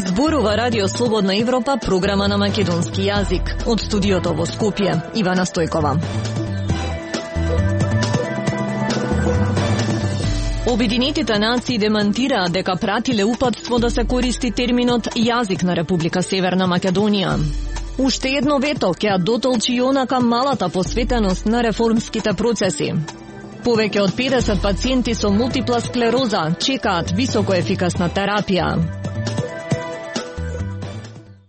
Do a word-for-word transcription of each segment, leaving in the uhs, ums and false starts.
Зборува Радио Слободна Европа, програма на македонски јазик. Од студиото во Скопје, Ивана Стојкова. Обединетите нации демантираа дека пратиле упатство да се користи терминот јазик на Република Северна Македонија. Уште едно вето ќе дотолчи и онака малата посветеност на реформските процеси. Повеќе од педесет пациенти со мултипла склероза чекаат високоефикасна терапија.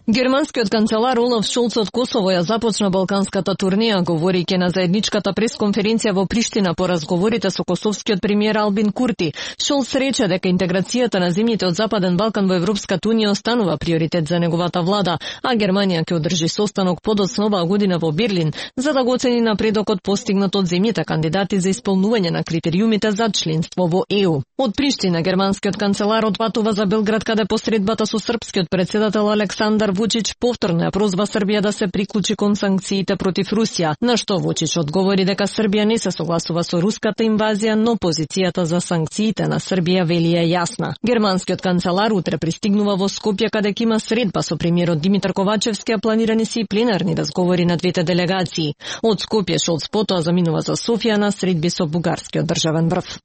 Германскиот канцелар Олаф Шолц од Косово ја започна балканската турнеја, говорејќи на заедничката пресконференција во Приштина по разговорите со косовскиот премиер Албин Курти. Шолц рече дека интеграцијата на земјите од Западен Балкан во Европската унија останува приоритет за неговата влада, а Германија ќе одржи состанок подоцна оваа година во Берлин за да го оцени напредокот постигнат од земјите кандидати за исполнување на критериумите за членство во Е У. Од Приштина германскиот канцелар отпатува за Белград, каде посредбата со српскиот председател Александар Вучич повторно ја прозва Србија да се приклучи кон санкциите против Русија, на што Вучич одговори дека Србија не се согласува со руската инвазија, но позицијата за санкциите на Србија вели е јасна. Германскиот канцелар утре пристигнува во Скопје, каде ќе има средба со премиерот Димитар Ковачевски, а планирани се и пленарни разговори на двете делегации. Од Скопје Шолц потоа заминува за Софија на средби со бугарскиот државен врв.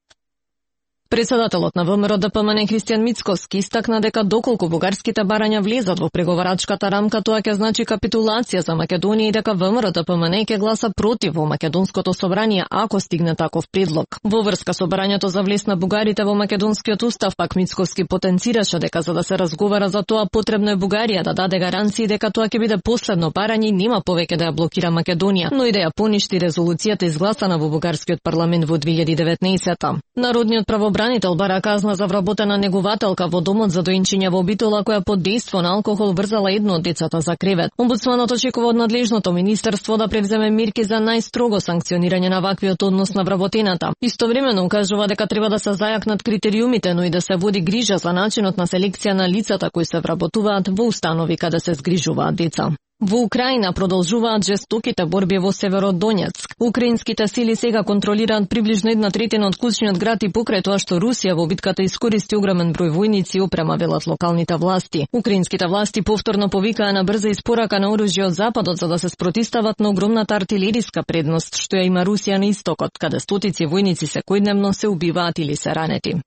Председателот на ВМРО Д П М Н Христијан Мицкоски истакна дека доколку бугарските барања влезат во преговарачката рамка, тоа ќе значи капитулација за Македонија и дека ВМРО Д П М Н ќе гласа против во македонското собрание ако стигне таков предлог. Во врска со барањето за влез на бугарите во македонскиот устав, пак Мицкоски потенцираше дека за да се разговара за тоа потребно е Бугарија да даде гаранции дека тоа ќе биде последно барање и нема повеќе да ја блокира Македонија, но и да ја поништи резолуцијата изгласана во бугарскиот парламент во две илјади и деветнаесета. Народниот правобранител бара казна за вработена негувателка во домот за доинчиња во Битола која под дејство на алкохол врзала едно од децата за кревет. Омбудсманот очекува од надлежното министерство да превземе мерки за најстрого санкционирање на ваквиот однос на вработената. Истовремено укажува дека треба да се зајакнат критериумите, но и да се води грижа за начинот на селекција на лицата кои се вработуваат во установи каде се згрижуваат деца. Во Украина продолжуваат жестоките борби во Северодонецк. Украинските сили сега контролираат приближно една третина од клучниот град и покрај тоа што Русија во битката искористи огромен број војници и опрема, велат локалните власти. Украинските власти повторно повикаа на брза испорака на оружје од Западот за да се спротистават на огромната артилериска предност што ја има Русија на истокот, каде стотици војници секојдневно се убиваат или се ранети.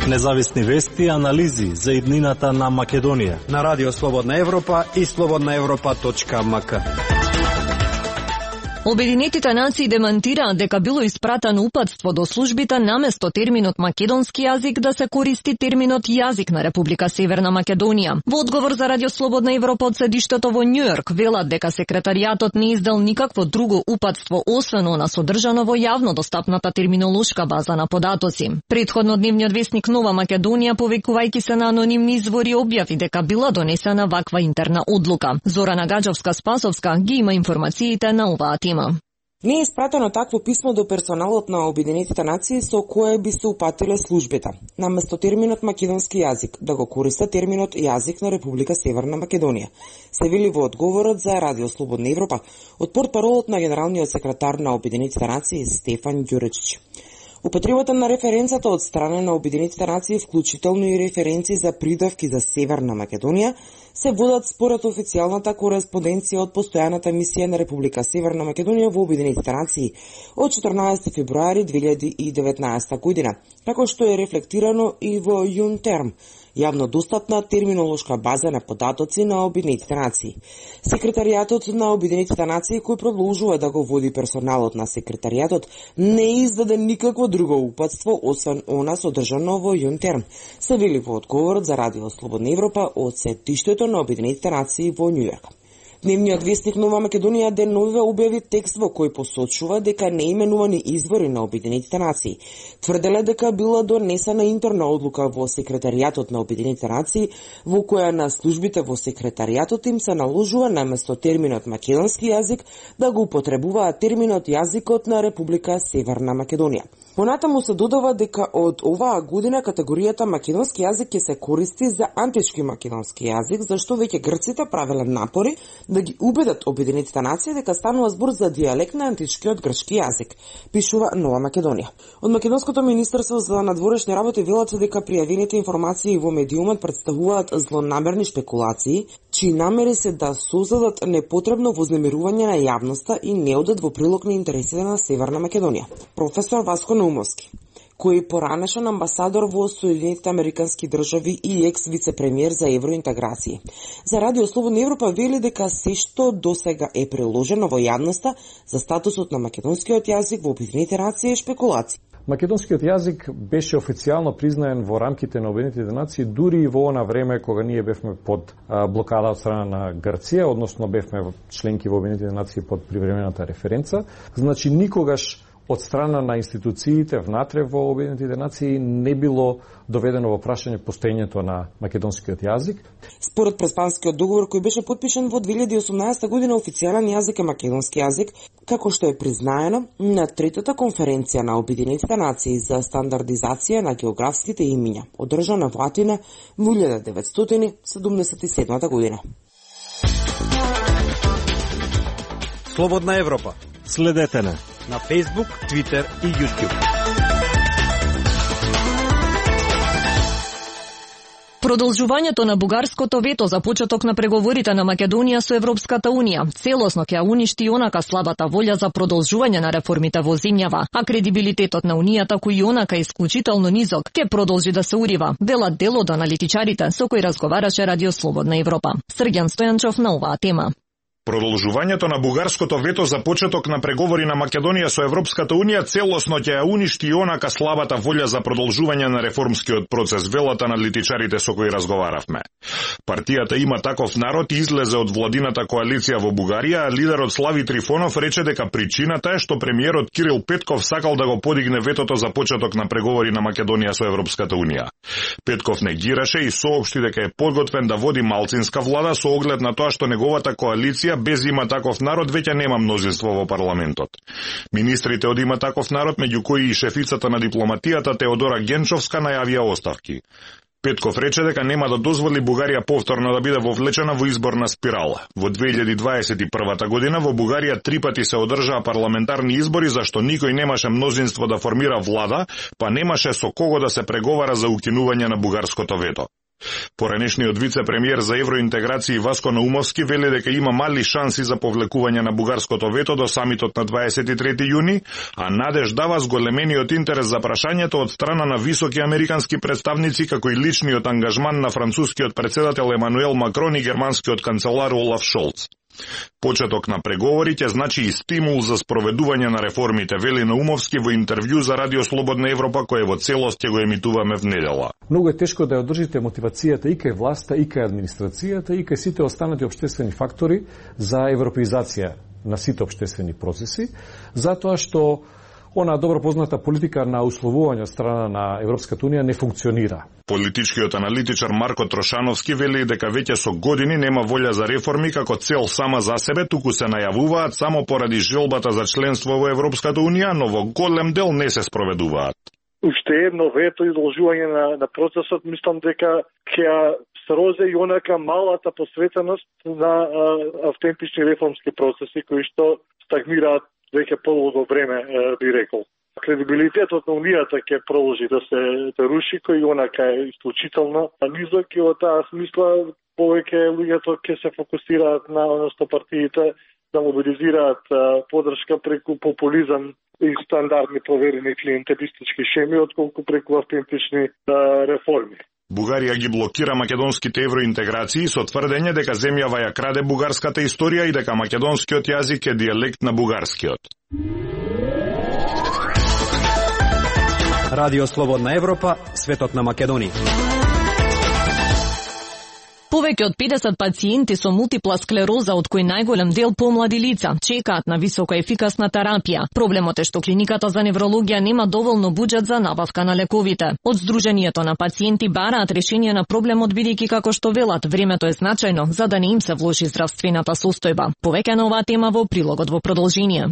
Независни вести и анализи за иднината на Македонија на Радио Слободна Европа и слободна европа точка ем ка. Обединетите нации демантираат дека било испратено упатство до службите наместо терминот македонски јазик да се користи терминот јазик на Република Северна Македонија. Во одговор за Радио Слободна Европа од седиштето во Њујорк велат дека секретаријатот не издал никакво друго упатство освен она содржано во јавно достапната терминолошка база на податоци. Претходно дневниот весник Нова Македонија, повикувајќи се на анонимни извори, објави дека била донесена ваква интерна одлука. Зорана Гаджовска-Спасовска ги има информациите на оваа тема. Не е испратено такво писмо до персоналот на Обединетите нации со кое би се упатиле службите. Наместо терминот македонски јазик, да го користат терминот јазик на Република Северна Македонија. Се вели во одговорот за Радио Слободна Европа од портпаролот на генералниот секретар на Обединетите нации Стефан Ѓуречич. Употребата на референцата од страна на Обединетите нации, вклучително и референции за придавки за Северна Македонија, се водат според официјалната кореспонденција од постојаната мисија на Република Северна Македонија во Обединетите нации од четрнаесети февруари две илјади и деветнаесета година, како што е рефлектирано и во ЮНТЕРМ, јавно достапна терминолошка база на податоци на Обединетите нации. Секретаријатот на Обединетите нации, кој продолжува да го води персоналот на секретаријатот, не издаде никакво друго упатство освен она содржано во ЮНТЕРМ, се вели во одговорот за Радио Слободна Европа од сетиштето на Обединетите нации во Њујорк. Дневниот вестник Нова Македонија деновиве објави текст во кој посочува дека неименувани извори на Обединетите нации тврделе дека била донесена интерна одлука во секретаријатот на Обединетите нации во која на службите во секретаријатот им се наложува наместо терминот македонски јазик да го употребуваат терминот јазикот на Република Северна Македонија. Понатаму се додава дека од оваа година категоријата македонски јазик ќе се користи за антички македонски јазик, зашто веќе грците правеле напори да ги убедат Обединетите нации дека станува збор за дијалект на античкиот грчки јазик, пишува Нова Македонија. Од Македонското министерство за надворешни работи велат дека пријавените информации во медиумот представуваат злонамерни шпекулации, чии намери се да создадат непотребно вознемирување на јавноста и не одат во прилог на интересите на Северна Македонија. Професор Васко Наумовски, кој поранешен амбасадор во Соединетите Американски држави и екс вице-премиер за евроинтеграција. За Радио Слободна Европа вели дека се што досега е приложено во јавноста за статусот на македонскиот јазик во Обединетите нации е шпекулација. Македонскиот јазик беше официјално признаен во рамките на Обединетите нации дури и во она време кога ние бевме под а, блокада од страна на Грција, односно бевме членки во Обединетите нации под привремената референца. Значи никогаш од страна на институциите внатре во Обединетите нации не било доведено во прашање постоењето на македонскиот јазик. Според Преспанскиот договор кој беше подпишан во две илјади и осумнаесета година, официјален јазик е македонски јазик, како што е признаено на третата конференција на Обединетите нации за стандардизација на географските имиња, одржана во Атина во илјада деветстотини седумдесет и седма година. Слободна Европа. Следете на на Facebook, Twitter и YouTube. Продолжувањето на бугарското вето за почеток на преговорите на Македонија со Европската Унија целосно ќе уништи онака слабата волја за продолжување на реформите во земјава, а кредибилитетот на Унијата кој и онака е исклучително низок ќе продолжи да се урива, велат дел од аналитичарите со кои разговараше Радио Слободна Европа. Срѓан Стојанчов на оваа тема. Продолжувањето на бугарското вето за почеток на преговори на Македонија со Европската Унија целосно ќе ја уништи и онака слабата волја за продолжување на реформскиот процес, велат аналитичарите со кои разговаравме. Партијата Има таков народ излезе од владината коалиција во Бугарија, а лидерот Слави Трифонов рече дека причината е што премиерот Кирил Петков сакал да го подигне ветото за почеток на преговори на Македонија со Европската Унија. Петков негираше и соопшти дека е подготвен да води малцинска влада со оглед на тоа што неговата коалиција без Има таков народ веќе нема мнозинство во парламентот. Министрите од Има таков народ, меѓу кои и шефицата на дипломатијата Теодора Генчовска, најавија оставки. Петков рече дека нема да дозволи Бугарија повторно да биде вовлечена во изборна спирала. Во две илјади дваесет и прва година во Бугарија три пати се одржаа парламентарни избори зашто никој немаше мнозинство да формира влада, па немаше со кого да се преговара за укинување на бугарското вето. Поранешниот вице-премиер за евроинтеграција Васко Наумовски вели дека има мали шанси за повлекување на бугарското вето до самитот на дваесет и трети јуни, а надеж дава зголемениот интерес за прашањето од страна на високи американски представници, како и личниот ангажман на францускиот председател Емануел Макрон и германскиот канцелар Олаф Шолц. Почеток на преговори ќе значи и стимул за спроведување на реформите, вели Наумовски во интервју за Радио Слободна Европа, кој во целост ќе го емитуваме в недела. Многу е тешко да ја одржите мотивацијата и кај власта, и кај администрацијата, и кај сите останати општествени фактори за европеизација на сите општествени процеси, затоа што она добро позната политика на условување од страна на Европската Унија не функционира. Политичкиот аналитичар Марко Трошановски вели дека веќе со години нема волја за реформи како цел сама за себе, туку се најавуваат само поради желбата за членство во Европската Унија, но во голем дел не се спроведуваат. Уште едно вето и должување на, на процесот, мислам дека ќе срозе и онака малата посветеност на а, автентични реформски процеси кои што стагнираат веќе подолго време, би рекол. Кредибилитетот на Унијата ќе продолжи да се да руши, кој онака е исклучително низок и во таа смисла повеќе луѓето ќе се фокусираат на односно партиите да мобилизираат поддршка преку популизам и стандардни проверени клиентелистички шеми, отколку преку автентични реформи. Бугарија ги блокира македонските евроинтеграции со тврдење дека земјава ја краде бугарската историја и дека македонскиот јазик е дијалект на бугарскиот. Радио Слободна Европа, светот на Македонија. Повеќе од педесет пациенти со мултипла склероза, од кои најголем дел помлади лица, чекаат на високо ефикасна терапија. Проблемот е што клиниката за неврологија нема доволно буџет за набавка на лековите. Од Сдруженијето на пациенти бараат решение на проблемот, бидејќи како што велат, времето е значајно за да не им се влоши здравствената состојба. Повеќе на оваа тема во прилогот во продолжение.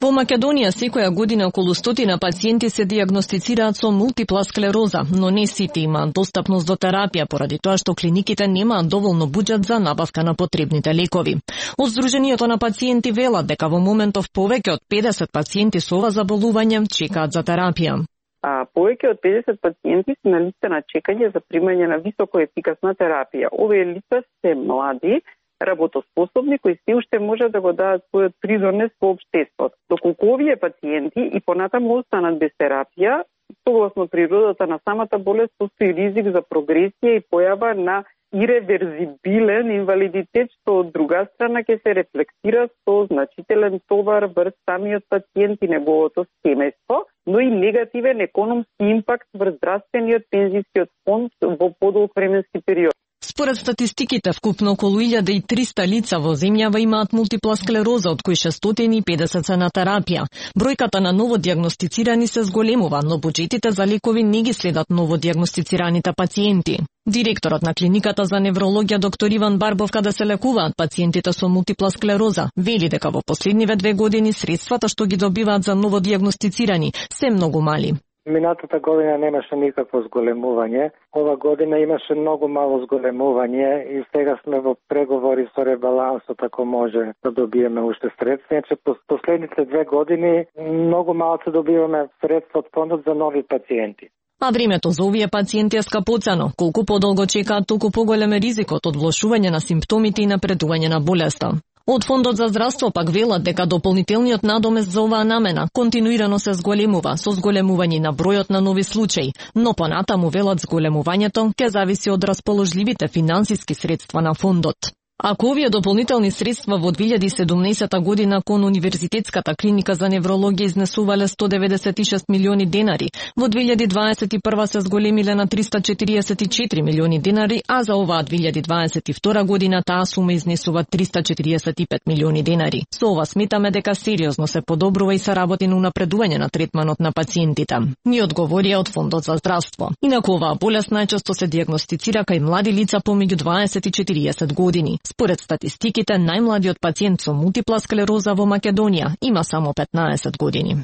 Во Македонија секоја година околу стотина пациенти се дијагностицираат со мултипла склероза, но не сите имаат достапност до терапија поради тоа што клиниките немаат доволно буџет за набавка на потребните лекови. Од Сдруженијето на пациенти велат дека во моментов повеќе од педесет пациенти со ова заболување чекаат за терапија. А повеќе од педесет пациенти се на листа на чекање за примање на високо ефикасна терапија. Овие лица се млади, работоспособни кои се уште може да го дадат својот придонес во општеството. Доколку овие пациенти и понатаму останат без терапија, согласно природата на самата болест постои ризик за прогресија и појава на иреверзибилен инвалидитет, што од друга страна ќе се рефлектира со значителен товар врз самиот пациент и неговото семејство, но и негативен економски импакт врз здравствениот пензискиот фонд во подолг временски период. Според статистиките, вкупно околу илјада и триста лица во земјава имаат мултипла склероза, од кои шестстотини и педесет се на терапија. Бројката на новодијагностицирани се зголемува, но буџетите за лекови не ги следат новодијагностицираните пациенти. Директорот на клиниката за неврологија доктор Иван Барбов, каде се лекуваат пациентите со мултипла склероза, вели дека во последниве две години средствата што ги добиваат за новодијагностицирани се многу мали. Минатата година немаше никакво зголемување. Ова година имаше многу мало зголемување и сега сме во преговори со ребалансот ако може да добиеме уште средства. Иначе по последните две години многу малку добиваме средства од фондот за нови пациенти. А времето за овие пациенти е скапоцено. Колку подолго чекаат, толку поголем е ризикот од влошување на симптомите и напредување на болеста. Од Фондот за здравство пак велат дека дополнителниот надомест за оваа намена континуирано се зголемува со зголемување на бројот на нови случаи, но понатаму велат зголемувањето ќе зависи од расположливите финансиски средства на фондот. Ако овие дополнителни средства во две илјади и седумнаесета година кон Универзитетската клиника за неврологија изнесувале сто деветдесет и шест милиони денари, во две илјади дваесет и прва се зголемиле на триста четириесет и четири милиони денари, а за оваа две илјади дваесет и втора година таа сума изнесува триста четириесет и пет милиони денари. Со ова сметаме дека сериозно се подобрува и се работи на унапредување на третманот на пациентите. Ни одговорија од Фондот за здравство. Инаку оваа болест најчесто се дијагностицира кај млади лица помеѓу дваесет и четириесет години. Според статистиките, најмладиот пациент со мултипла склероза во Македонија има само петнаесет години.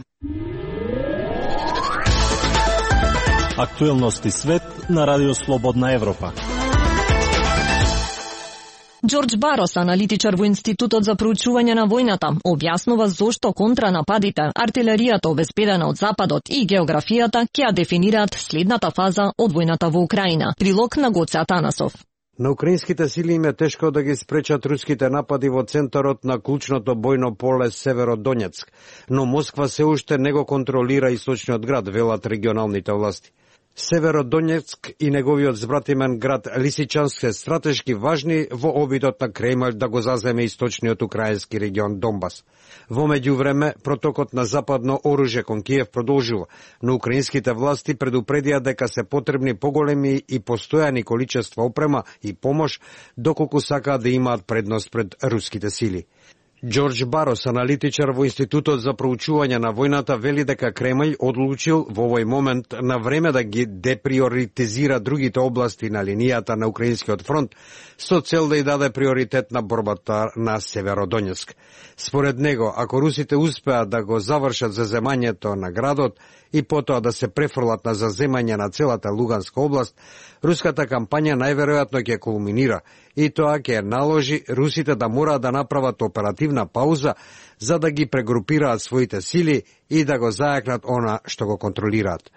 Актуелности свет на Радио Слободна Европа. Џорџ Барос, аналитичар во Институтот за проучување на војната, објаснува зошто контранападите, артилеријата обезбедена од Западот и географијата ќе ја дефинираат следната фаза од војната во Украина. Прилог на Гоце Атанасов. На украинските сили им е тешко да ги спречат руските напади во центарот на клучното бојно поле Северодонецк, но Москва се уште не го контролира источниот град, велат регионалните власти. Северодонецк и неговиот збратимен град Лисичанск се стратешки важни во обидот на Кремљ да го заземе источниот украински регион Донбас. Во меѓувреме, протокот на западно оружје кон Киев продолжува, но украинските власти предупредија дека се потребни поголеми и постојани количества опрема и помош, доколку сакаат да имаат предност пред руските сили. Џорџ Барос, аналитичар во Институтот за проучување на војната, вели дека Кремљ одлучил во овој момент на време да ги деприоритизира другите области на линијата на Украинскиот фронт со цел да ја даде приоритет на борбата на Северодонецк. Според него, ако русите успеат да го завршат заземањето на градот и потоа да се префрлат на заземање на целата Луганска област, руската кампања најверојатно ќе кулминира и тоа ќе наложи русите да мораат да направат оперативна пауза за да ги прегрупираат своите сили и да го зајакнат она што го контролираат.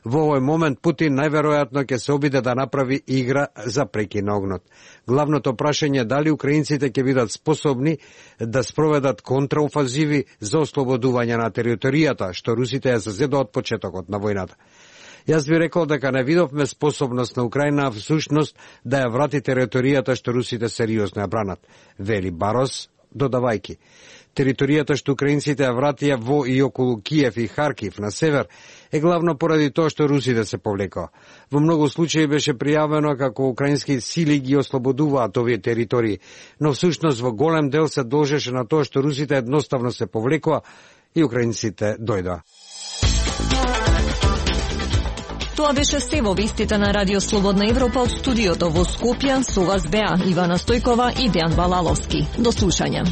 Во овој момент Путин најверојатно ќе се обиде да направи игра за прекин на огнот. Главното прашање е дали украинците ќе бидат способни да спроведат контраофанзиви за ослободување на територијата што русите ја зазедоа од почетокот на војната. Јас би рекол дека не видовме способност на Украина всушност да ја врати територијата што русите сериозно ја бранат, вели Барос, додавајки. Територијата што украинците ја вратија во и околу Киев и Харкив на север е главно поради тоа што русите се повлекоа. Во многу случаи беше пријавено како украински сили ги ослободуваат овие територии, но всушност во голем дел се должеше на тоа што русите едноставно се повлекоа и украинците дојдоа. Тоа беше се во вестите на Радио Слободна Европа од студиото во Скопје. Со вас беа Ивана Стојкова и Дејан Балаловски. До слушање.